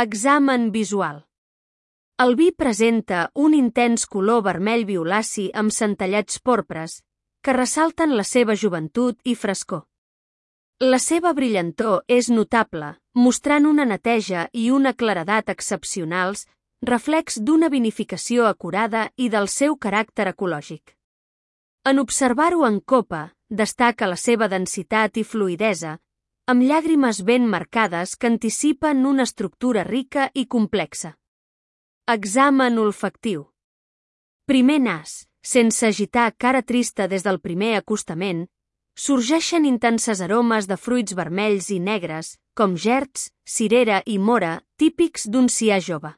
Examen visual. El vi presenta un intens color vermell violaci amb centellats porpres, que ressalten la seva joventut i frescor. La seva brillantor és notable, mostrant una neteja i una claredat excepcionals, reflex d'una vinificació acurada i del seu caràcter ecològic. En observar-ho en copa, destaca la seva densitat i fluïdesa, amb llàgrimes ben marcades que anticipen una estructura rica i complexa. Examen olfactiu. Primer nas, sense agitar cara trista des del primer acostament, sorgeixen intenses aromes de fruits vermells i negres, com gerds, cirera i mora, típics d'un cià jove.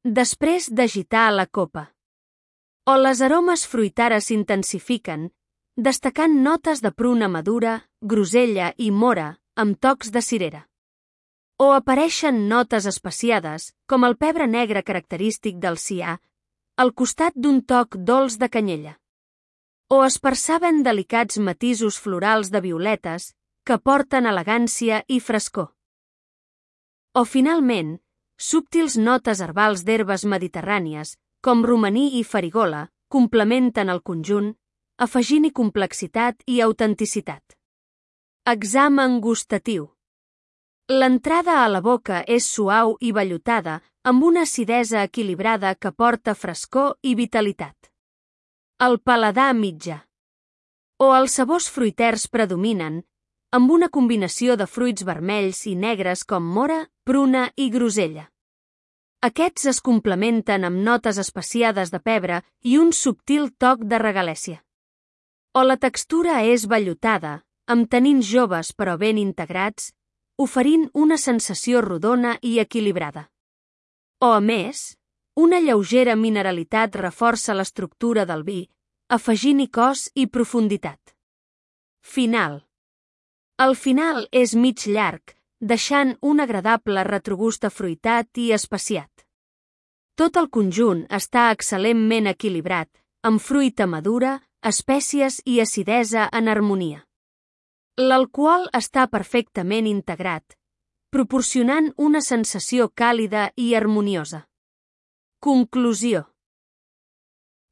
Després d'agitar la copa. O les aromes fruitares s'intensifiquen, destacant notes de pruna madura, grosella i mora, amb tocs de cirera. O apareixen notes especiades, com el pebre negre característic del cià, al costat d'un toc dolç de canyella. O es perceben delicats matisos florals de violetes que porten elegància i frescor. O, finalment, subtils notes herbals d'herbes mediterrànies, com romaní i farigola, complementen el conjunt, afegint-hi complexitat i autenticitat. Examen gustatiu. L'entrada a la boca és suau i vellutada, amb una acidesa equilibrada que porta frescor i vitalitat. El paladar mitjà. O els sabors fruiters predominen, amb una combinació de fruits vermells i negres com mora, pruna i grosella. Aquests es complementen amb notes especiades de pebre i un subtil toc de regalèssia. O la textura és vellutada, amb tanins joves però ben integrats, oferint una sensació rodona i equilibrada. O, a més, una lleugera mineralitat reforça l'estructura del vi, afegint-hi cos i profunditat. Final. El final és mig llarg, deixant un agradable retrogust afruitat i especiat. Tot el conjunt està excel·lentment equilibrat, amb fruita madura, espècies i acidesa en harmonia. L'alcohol està perfectament integrat, proporcionant una sensació càlida i harmoniosa. Conclusió.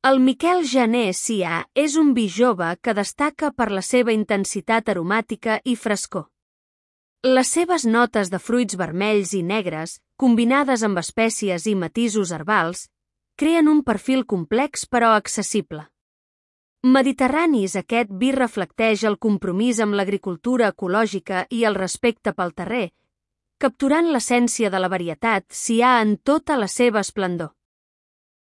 El Miquel Janer Cià és un vi jove que destaca per la seva intensitat aromàtica i frescor. Les seves notes de fruits vermells i negres, combinades amb espècies i matisos herbals, creen un perfil complex però accessible. Mediterranis, aquest vi reflecteix el compromís amb l'agricultura ecològica i el respecte pel terrer, capturant l'essència de la varietat cià en tota la seva esplendor.